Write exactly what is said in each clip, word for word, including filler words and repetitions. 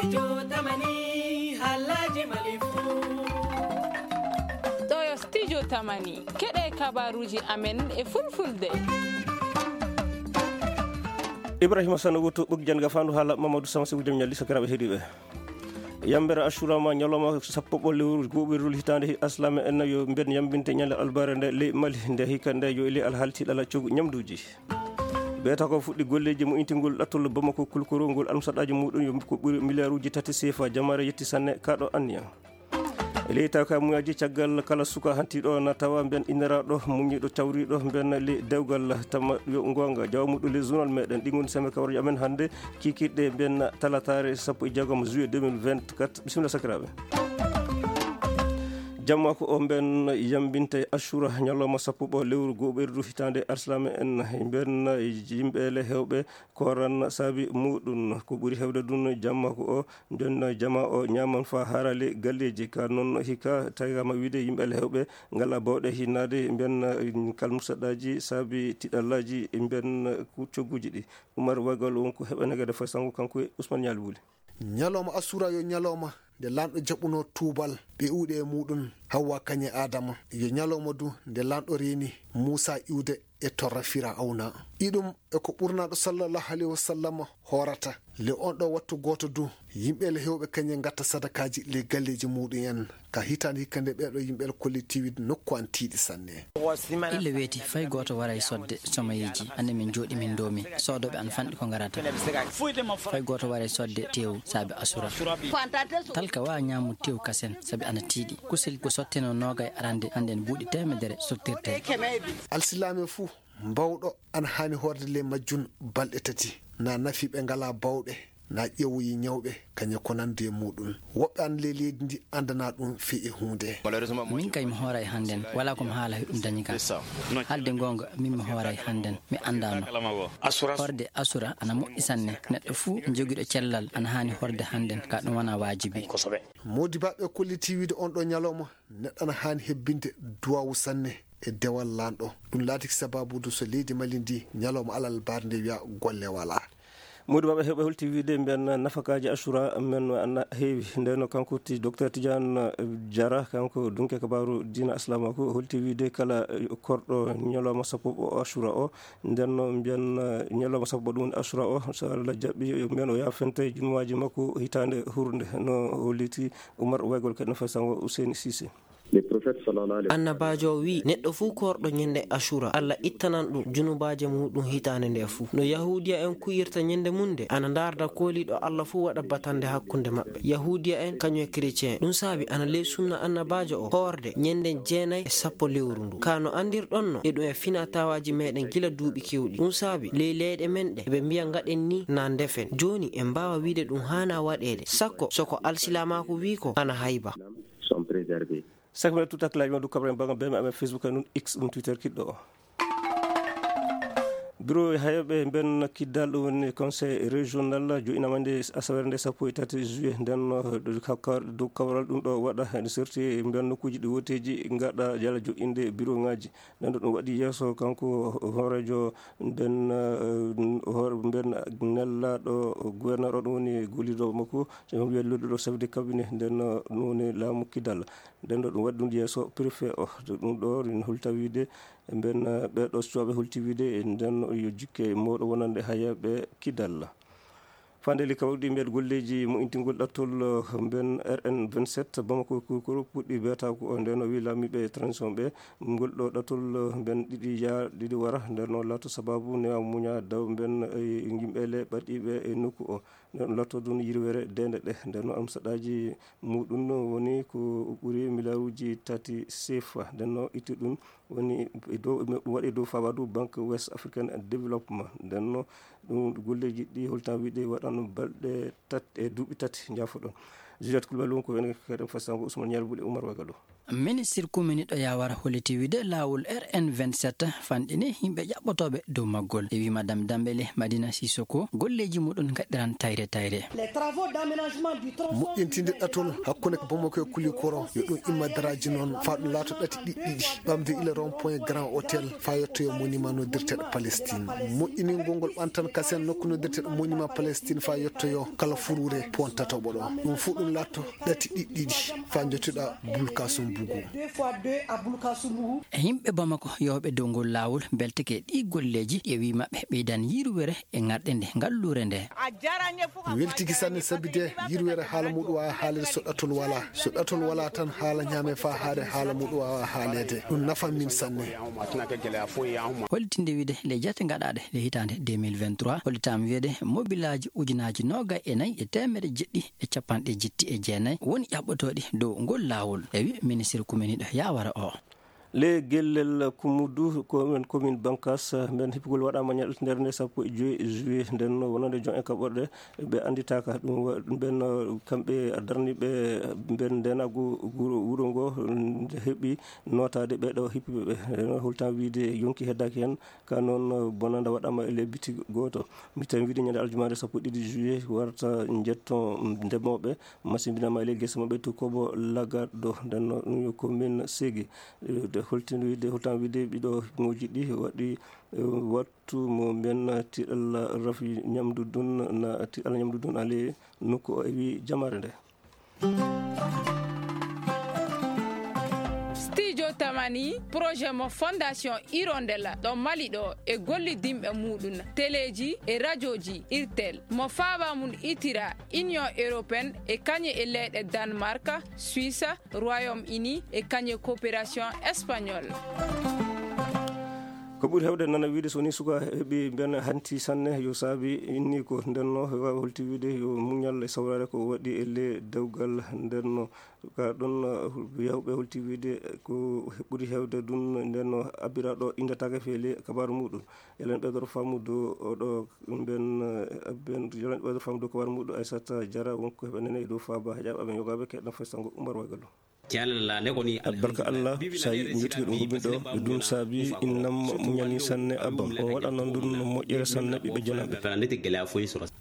Studio Tamani, haalaaji Mali fuu. Ɗo yo Studio Tamani, keɗe kabaruuji amen e fulfulde. Ibrahima Sano Wutu, ɓoggi jannga faandu haala Mamadou Sama Seku Jam Ñalli, sakiraaɓe heɗiiɓe. Yambere Ashura ma ñalawma sappo ɓo lewru go'oɓirdu hitaande Aslaame en yo mben yambinte ñande albare nde ley Mali nde hikka nde yo e ley alhaali tiiɗalla coggu ñamduuji. Beeta ko fuɗɗi golleeji mo intingol ɗattol Bamako kulkoro ngol almusaɗaaji muɗum yo ko ɓuri miliyaaruuji tati seefa. Jamaare yetti sanne kaɗo anniya. E ley tawka muyaji caggal kala suka hantiɗo na tawa mben inniraɗo muñiɗo cawriɗo mben ley dewgal tama yo ngonga jawa muɗum ley journal meɗen ɗi ngoni seme kawreji amen hannde. Kikiɗe mben talatare sappo e jeegom juillet deux mille vingt-quatre. Bisimilla sakiraaɓe. Jamma ko o mben yambinte Ashura ñalawma sappo ɓo lewru go'oɓirdu hitaande Aslaame en mben yimɓe le hewɓe koran saabi muɗum ko ɓuri hewde ɗum jamma ko o mben jama o ñaman fa harale galleji ka noon hikka tagama wiide yimɓe le hewɓe ngala bawɗe hinnaade mben kalmusaɗaji saabi tiɗallaji mben cogguji ɗi. Umar Wagal won ko heɓanegede fay sango kanko e Ousmane Ñaali Wuli. Ñalawma Asura yo ñalawma nde lanɗo jaɓuno tuubal ɓe uɗe e muɗum Hawwa kañe Adama. Yo ñalawma du nde lanɗo reeni Muusa iwde e torra Firawna. Iɗum e ko ɓurnaɗo sallallahu alayhi wa sallam hoorata. Le on ɗo wattu gooto du yimɓe le hewɓe kañe ngatta sadakaaji le galleeji muɗum en. Ka hitaande hikka nde ɓeɗo yimɓe le kollitiiwi nokku an tiiɗi sanne. Ille weeti fay gooto waray sodde somayeeji. Anne min jooɗi min ndoomi soodooɓe an fanɗi ko ngarata. Fay gooto waray sodde teewu saabi Asura. Talka wa ñaamu teewu kasen sabi ana tiiɗi. Kusel ko sotteno noogay arande hannden buuɗi teemedere sottirte. Alsilaame fuu mbawɗo ana haani hoorde le majjun balɗe tati. Na nafi ɓe ngala bawɗe na ƴeewoyi ñawɓe kañe ko nandi e muɗum. Woɓɓe an le leydi ndi andana ɗum fii e huunde. Min kay mi hooray hannden wala ko mi haala heɗum dañi kan. Haalde goonga min mi hooray hannden mi andaano. Horde Asura ana moƴƴi sanne. Neɗɗo fuu jogiɗo cellal ana haani horde hannden ka ɗum wona waajibi. Moodi baɓe kolliti wiide on ɗo ñalawma neɗɗo ana haani hebbinde duwawu sanne e dewal lanɗo. Ɗum laatiki sababudu so leydi Mali ndi ñalawma alal barnde wiya golle wala. Modi baɓe heɓe holti wiide mbiyan nafakaji Ashura men ana heewi. Ndeno kanko ti docteur Tidiane Diarra kanko dunke kabaru diina aslamaku holti wiide kala korɗo ñalawma sappo o Ashura o. Ndenno mbiyan ñalawma sappo ɗum Ashura o so Allah jaɓɓi mbiyan o yafente junuwaji makko hitande hurnde no holliti Umar Waygol kadi no fay sango Ousseyni Cissé. Annabaajo o wi'i neɗɗo fuu koorɗo ñande Ashura Allah ittanan ɗum junubaaje muuɗum hitaande nde fuu. No Yahuudiya en ku'irta ñande mum nde ana ndaarda kooliiɗo Allah fuu waɗa batannde hakkunde maɓɓe. Yahuudiya en kañum e kretien ɗum saabi ana ley sunna annabaajo o hoorde ñande jeenay e sappo lewru ndu. Ka no anndirɗon no e ɗum e finataawaaji meeɗen gila duuɓi keewɗi. Ɗum saabi ley leyɗe men ɗe eɓe mbiya ngaɗen ni na ndefen. Jooni en mbaawa wi'de ɗum haana waɗeede sakko so ko alsilaamaaku wi'i ko ana hayba. Sont préservés. Saka men tutaklaji ma du kabarin bango beme amen Facebook en ɗum X ɗum Twitter kiɗɗo o. Bureau hayɓe mben kiddal ɗum woni conseil régional joɗɗinama nde asawere nde sappo e tati juillet nden dow kawral ɗum ɗo waɗa ene serti mben nokkuji ɗi woteji gaɗa jala joɗɗinde bureau ngaji. Nden ɗo ɗum waɗi yeeso kanko hoorejo nden hoore mben nellaɗo gouverneur o ɗum woni gollido makko. Wiya lolluɗo chef de cabinet nden ɗum woni laamu kiddal. Nden ɗo ɗum waɗi ɗum yeeso préfet o ɗum ɗo rin holta wiide mben ɓeɗo suwaɓe holti wiide nden yo jikke mawɗo wonande hayaɓe kidalla. Fandeli kawɗi mbeɗ golleji mo intingol ɗattol mben R N vingt-sept Bamako Kukuru puɗɗi beetako o nden o wi lamiɓe transition ɓe ngol ɗo ɗattol mben ɗiɗi ya ɗiɗi wara nden o lato sababu newa muña daw mben yimɓe le ɓaɗɗiɓe e nokku o. Nden ɗum latto ɗum yirwere dende ɗe nden no amsaɗaji muɗum woni ko ɓuri miliyaaruji tati sefa nden no itti ɗum woni e dow ɗum waɗi dow fabadu banque west african development nden no ɗum golleji ɗi holtan wiide waɗano balɗe tati e duuɓi tati jafo ɗon. Juliette Coulibaly won ko wene kadi fasango Ousmane Ñalbuɗe Oumar Wagalo. Ministir kuminiɗo yawara holliti wide laawol R N vingt-sept fanɗini yimɓe ƴaɓɓotooɓe dow maggol. E wi Madame Dambele Madina Sissoko, golleeji muɗum ngaɗiran tayre tayre. Les travaux d'aménagement du tronçon moƴƴintinde ɗatol hakkunde Bamako e Kulikoro, yo ɗum imma daraaji noon, faa ɗum laato ɗati ɗiɗi ɗiɗi, ɓamde ila rond point Grand Hôtel, faa yettoyo monument noddirteeɗo Palestine. Moƴƴiningol ngol ɓantan kasen nokku noddirteeɗo monument Palestine, faa yettoyo kala furuure pon tataɓo ɗo. Ɗum fuu ɗum laatto ɗati ɗiɗi ɗiɗi, faa njottuɗa Bulkasum Bugu. Deux fois deux à Bulkasum Bugu. E yimɓe Bamako yewɓe dow ngol laawol mbelteke ɗi golleeji, e wi maɓɓe ɓeydan yirwere e ŋarɗe nde ngalluure nde. Weltiki sanne sabi de yirwere haala muɗum waawa haaleede so ɗatol wala. So ɗatol wala tan haala ñaame faa haare haala muɗum waawa haaleede. Ɗum nafa min sanne. Holtinde wiide le jate gaɗaaɗe le hitaande deux mille vingt-trois, hollitaama wiide mobilaaji ujunaaji noogay e nayi e teemedde jeɗɗi e capanɗe jetti e jeenayi woni ƴaɓɓotooɗi dow ngol laawol. E wi ministir kuminiɗo yawara o. Le gellel Kumudu, ko men commune Bankas, men hippugol waɗaama ñalɗi nder nde sappo e joy juillet, nden no wonande jon e kaɓorɗe ɓe annditaaka. Ɗum wa-, ɓen, uh, kamɓe darniiɓe ɓen ndenagu wuro, wuro ngo, nde heɓi nootaade ɓe ɗo hippuɓe ɓe. Nden holtan wiide yonki heddaaki hen, ka noon, uh, bonanda waɗaama e le bitig gooto. Mi tawi wiide ñande aljumaare sappo e ɗiɗi juillet warta njetto ndemooɓe, masimbinama e le gese maɓɓe to Kobo Lagaɗo. Nden no ɗum yo commune Segi. Eh, de holtino wiide, holtan wiide ɓiɗo moji ɗi waɗi, eh, wattu mo mbiyen tiɗalla rafi ñamdu dun na tiɗalla ñamdu dun ale nokku o e wi jamaare nde. Studio Tamani, projet mo Fondation Hirondelle ɗo Mali ɗo e gollidinɓe muɗum, teleji e rajoji Irtel, mo faaba mum itira Union Européenne e kañe e leyɗe Danemark, Suisse, Royaume-Uni e kañe coopération espagnole. Ko ɓuri heewde nana wiide so woni suka heɓi mbiyen hanti sanne, yo saabi inni ko ndenno, hewa holti wiide yo muñal e sawraare ko waɗi e le dewgal ndenno. Ka ɗon, uh, yawɓe holti wiide ko ɓuri heewde ɗum ndenno abbiraɗo inndataake feele kabaaru muɗum. Elen ɓeydoro faamude oɗo mben, eh, ben, elen ɓeydoro faamude ko war muɗo Aissata Diarra, wonko heɓa nene e dow faaba heƴaɓe aɓe yogaɓe keɗɗa fay sango Umar Wagalo. Albarka Allah, so a yii ɓe njottike ɗum gomin ɗo, ɓe ɗum saabi innam muñani sanne abbam. On waɗa noon ɗum no moƴƴere sanne ɓiɓɓe jananɓe.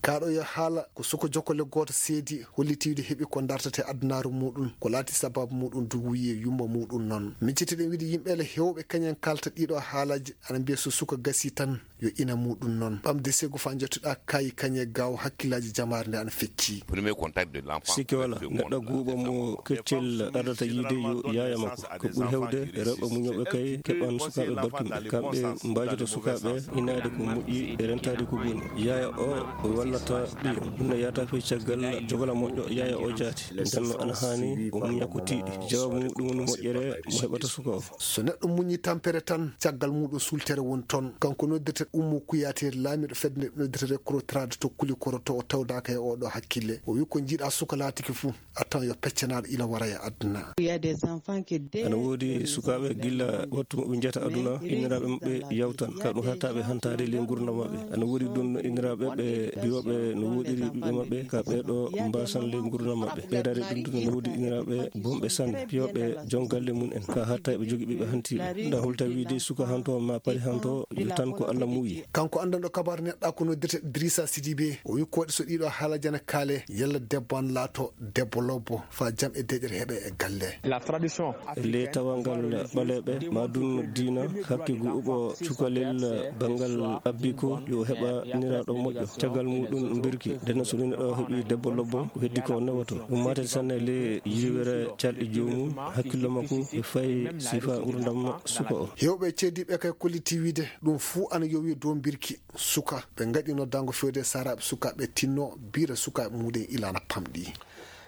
Kaɗo yo haala ko suko jokkole gooto seedi hollitiiɗo heɓi ko dartata e adunaaru muɗum, ko laati sababu muɗum duwuye yumma muɗum noon. Min cettiɗen wiide yimɓe le hewɓe kañen kalta ɗiɗo haalaji. Ana mbiya so suka gasi tan yo ina muɗum noon. Ɓamde segu fa jottuɗa kayi kañe gaw hakkillaaji jamaare nde ana fecci. Premier contact de l'enfant. Sikke wala, neɗɗo guuɓo mo keccel ardata yiide yo yaaya makko. Ko ɓuri hewde, rewɓe muñooɓe kay keɓan sukaaɓe barkinɓe. Kamɓe mbaajoto sukaaɓe inaade ko moƴƴi e rentaade ko boni. Yaaya o wallata ɓiyo. Ɗum ne yahata fey caggal jogola moƴƴo yaaya o jaati. Nden no ana haani o muña ko tiiɗi. Jawaabu muɗum woni moƴƴere mo heɓata suka o. So neɗɗo muñi tampere tan, caggal muɗum sultere woni toon. Kanko noddirte Ummu Kuyaate, laamiiɗo fedde nde noddirte Recrotrade to Kulikoro to o tawdaaka e oɗo hakkille. O wi ko jiiɗa suka laatiki fuu, a tawan yo peccanaaɗo ila wara e aduna. Il y a des enfants qui dès Ana woodi sukaaɓe gilla wattu mo ɓe njiyata aduna, inniraaɓe maɓɓe yawtan, ka ɗum haɗata ɓe hantaade ley nguurndam maɓɓe. Ana woodi ɗum inniraaɓe ɓe biyoɓe no woɗiri ɓiɓɓe maɓɓe, ka ɓeeɗo mbaasan ley nguurndam maɓɓe. Ɓeydaade ɗum ɗum no woodi inniraaɓe bonɓe sanne, piyoɓe jon galle mum en, ka hatta ɓe jogi ɓiɓɓe hantiiɓe. Nda holta wiide suka hanto ma pari hanto, yo tan ko Allah muuyi. Kanko anndanɗo kabaaru neɗɗa ko noddirte Idrissa Sidibé, o wi ko waɗi so ɗiɗo haala jana kaale, yalla debbo an laato debbo lobbo, fa jam e deƴere heɓe e galle. La tradition. Le tawal ngal ɓaleeɓe, ma ɗum diina, hakke guuɓo cukalel banngal abbi ko yo heɓa niraaɗo moƴƴo. Caggal muɗum mbirki, ndena so neɗɗo heɓi debbo lobbo, ko heddi ko newoto. Ɗum matel sanne le yiwere calɗi joomum, hakkillo makko e fayi sifa ngurdam suka o. Hewɓe cediɓe kay kolliti wiide ɗum fuu ana yowi dow mbirki suka. Ɓe ngaɗi noddaango fewde saraɓe sukaaɓe tinno bira sukaaɓe muɗum ilana pamɗi.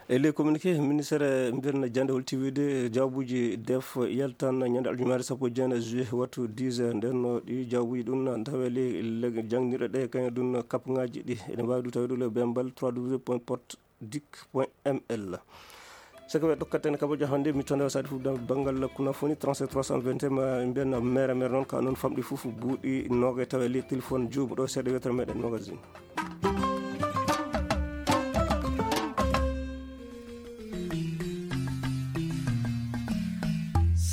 E ley communiqué, ministére mbirna jannde holti wiide jawbuuji def yaltan ñande aljumaare sappo e jeenayi juillet wattu dix heures. Nden no ɗi jawbuuji ɗum na ndawe ley le-, jannginirɗe ɗe kañum ɗum kapngaaji ɗi. Ene mbaawi ɗum tawde le bembal trois w point portdic point m l. Saka ɓe ɗokkata en kabajo hannde mi tonde o sadi fof banngal kunafoni trente-sept trois cent vingt et un ma mbiyen mere mere noon ka noon famɗi fof buuɗi noogay tawa e ley téléphone juumo ɗo seeɗa wetere meɗen magazine.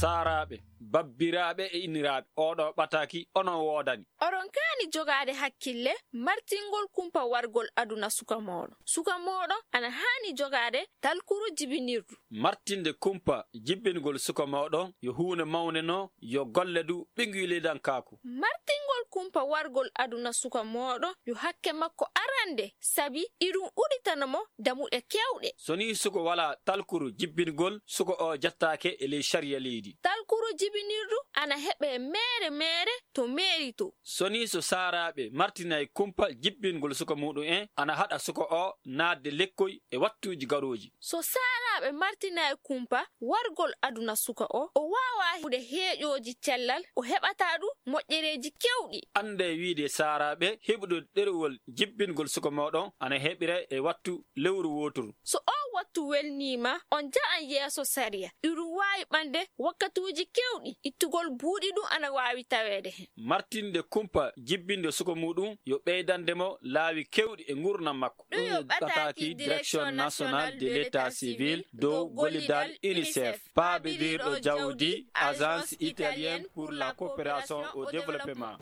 Saaraaɓe, babbiraaɓe e inniraaɓe, oo ɗoo ɓataaki onon woodani. Oɗon kaani jogaade hakkille martingol kumpa wargol aduna suka mooɗon. Suka mooɗon ana haani jogaade talkuru jibinirdu. Martinde kumpa jibbingol suka mooɗon yo huunde mawnde no yo golle du ɓinngilidankaaku. Martingol kumpa wargol aduna suka mooɗon yo hakke makko arande, sabi iɗum uɗitana mo damuɗe keewɗe. So nii suka walaa talkuru jibbingol, suka o jattaake e ley sariya leydi. Talkuru jibinirdu ana heɓee meere meere to meeri to. So nii so saaraaɓe martinay kumpa jibbingol suka muɗum en, ana haɗa suka o naatde lekkoy e wattuuji garooji. So saaraaɓe martinay kumpa wargol aduna suka o, o waawaa heɓude heeƴooji cellal, o heɓataa du moƴƴereeji keewɗi. Anndee wiide saaraaɓe heɓude ɗerewol jibbingol suka mooɗon ana heɓira e wattu lewru wooturu. So oo wattu welniima, on nja'an yeeso sariya. Iɗum waawi ɓande wakkatuuji keewɗi, ittugol buuɗi ɗum ana waawi taweede heen. Martinde kumpa jibbinde suka muɗum yo ɓeydande mo laawi keewɗi e nguurndam makko. Ɗum yo ɓataaki Direction Nationale de l'État Civil dow gollidal UNICEF, paabindirɗo jawdi Agence Italienne pour la Coopération au Développement.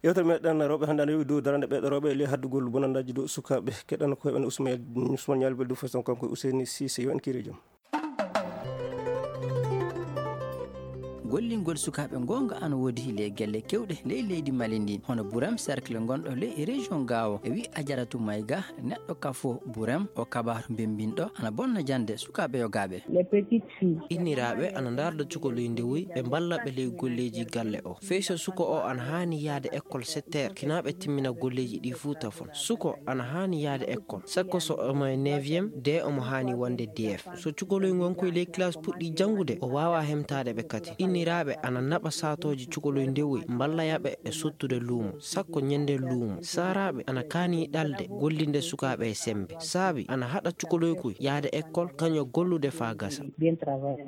Yewtere meɗen rewɓe hannde ana yowi dow darande ɓeɗe rewɓe e ley haddugol bonanndaji dow sukaaɓe. Keɗan ko heɓen Ousmane, Ousmane Ñaali Beldu Fason kanko e Ousseyni Cissé, yo en kiire joom. Gollingol sukaaɓe goonga ana woodi ley gelle kewɗe ley leydi Mali ndin, hono Burem Cercle gonɗo ley région Gao. E wi Ajaratu Mayga, neɗɗo kafo Burem, o kabaaru bembinɗo ana bonna jannde sukaaɓe yogaaɓe. Les petites filles. Inniraaɓe ana ndaarda cukoloy ndewoy, ɓe mballa ɓe ley golleeji galle o. Fey so suka o ana haani yaade école sept heures, kinaa ɓe timmina golleeji ɗi fuu tafon. Suka ana haani yaade école, sakko so omo e neuvième, de omo haani wonde D F. So cukoloy ngon koy ley classe puɗɗi janngude, o waawaa hemtaade ɓe kadi. Inniraaɓe ana naɓa saatooji cukoloy ndewoy, mballaya ɓe e sottude luumo, sakko ñande luumo. Saaraaɓe ana kaani ɗalde, gollinde sukaaɓe e semmbe. Saabi ana haɗa cukoloy koy yaade école, kañum gollude faa gasa.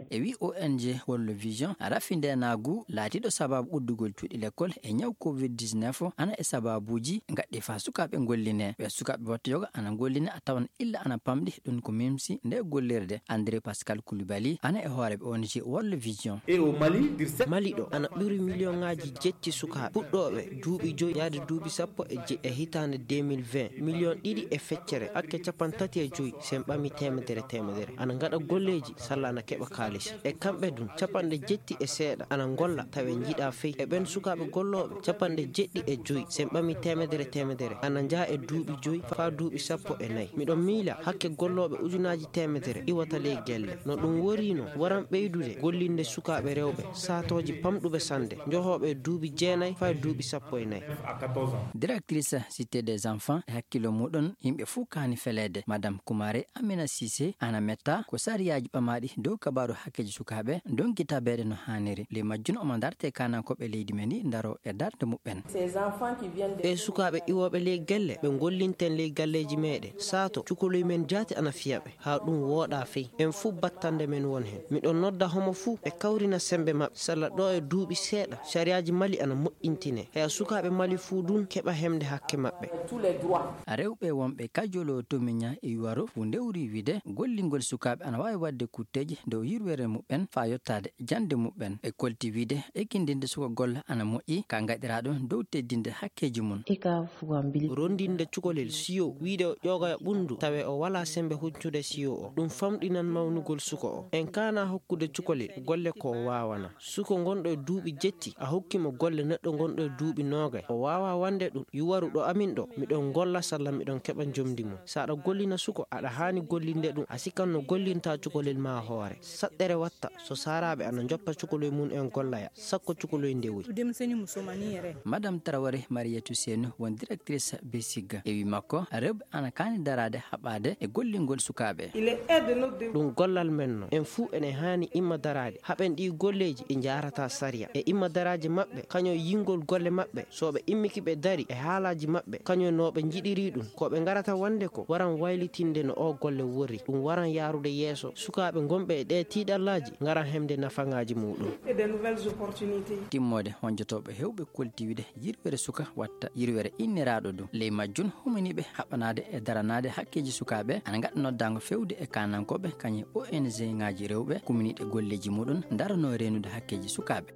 E wi O N G World Vision, rafindeenaagu laatiiɗo sabaabu uddugol cuuɗi lekkol e ñaw covid dix-neuf o ana e sabaabuuji gaɗɗi faa sukaaɓe ngollinee. Ɓe sukaaɓe wattu yoga ana ngollinee a tawan illa ana pamɗi, ɗum ko mimsi nde gollirde. André Pascal Coulibaly ana e hoore ɓe O N G World Vision. E o Mali, Mali ɗo ana ɓuri miliyoŋaaji jetti sukaaɓe puɗɗooɓe duuɓi joyi yaade duuɓi sappo e jeɗɗi e hitaande deux mille vingt, miliyoŋ ɗiɗi e feccere hakke capanɗe tati e joyi, sen ɓami teemedere teemedere, ana ngaɗa golleeji salla ana keɓa kaalisi. E kamɓe ɗum, capanɗe jetti e seeɗa ana ngolla tawe njiɗa fey. E ɓen sukaaɓe gollooɓe, capanɗe jeɗɗi e joyi, sen ɓami teemedere teemedere, ana njaa e duuɓi joyi faa duuɓi sappo e nayi. Miɗo miila hakke gollooɓe ujunaaji teemedere iwata ley gelle. No ɗum wori no, waran ɓeydude gollinde sukaaɓe rewɓe, saatooji pamɗuɓe sannde, njohooɓe e duuɓi jeenayi faa e duuɓi sappo e nayi. Directrice Cité des Enfants e hakkillo muɗum, yimɓe fuu kaani feleede. Madame Kumare Amina Cissé ana metta ko sariyaaji ɓamaaɗi dow kabaaru hakkeeji sukaaɓe ndonki tabeede no haaniri. Ley majjum omo dartee kaanankooɓe leydi men ndi ndaro e darnde muɓɓen. Ɓee sukaaɓe iwooɓe ley gelle ɓe ngollinten ley galleeji meeɗen, saato cukoloy men jaati ana fiya ɓe, haa ɗum wooɗa fey. En fuu battande men won heen. Miɗo nodda homo fuu ɓe kawrina semmbe maɓɓe, salla ɗo e duuɓi seeɗa, sariyaaji Mali ana moƴƴintinee. Heya sukaaɓe Mali fuu ɗum keɓa hemde hakke maɓɓe. Rewɓe wonɓe Kajolo to Miña e Yuwaro fuu ndewri wiide gollingol sukaaɓe ana waawi waɗde kutteeji dow yirwere muɓɓen faa yottaade jannde muɓɓen. E kolti wiide ekindinde suka golla ana moƴƴi ka ngaɗiraaɗo dow teddinde hakkeeji mum. Rondinde cukalel siyo, wiide o ƴoogoya ɓunndu, tawe o walaa semmbe huccude siyo o. Ɗum famɗinan mawnugol suka o. En kaana hokkude cukalel golle ko o waawana. Suka gonɗo e duuɓi jetti, a hokki mo golle neɗɗo gonɗo e duuɓi noogay. O waawaa wonde ɗum, Yuwaru ɗo amin ɗo, miɗon golla salla miɗon keɓa njomndi mum. So aɗa gollina suka, aɗa haani gollinde ɗum, a sikan no gollinta cukalel maa hoore. Saɗɗere watta, so saaraaɓe ana njoppa cukaloy mum en gollaya, sakko cukaloy ndewoy. Madame Traoré Mariétou Seynou won directrice BESIG. E wi makko, rewɓe ana kaani daraade haɓaade e gollingol sukaaɓe. Ɗum gollal men no. En fuu ene haani imma daraade. Haɓen ɗii golleeji ɗi njaarata sariya. E imma daraaji maɓɓe, kañum yingol golle maɓɓe. So ɓe immiki ɓe dari e haalaaji maɓɓe, kañum no ɓe njiɗiri ɗum. Ko ɓe ngarata wonde ko waran waylitinde no o golle worri. Ɗum waran yaarude yeeso. Sukaaɓe gonɓe e ɗee tiiɗallaaji ngaran hemde nafaŋaaji muuɗum. Timmoode honjotooɓe heewɓe kolti wiide yirwere suka watta yirwere inniraaɗo ɗum. Ley majjum huminiiɓe haɓanaade e daranaade hakkeeji sukaaɓe ana ngaɗa noddaango feewde e kaanankooɓe kañum ONG ŋaaji rewɓe kuminiiɗe golleeji muuɗum daranoo reenu heɓde hakkeeji sukaaɓe.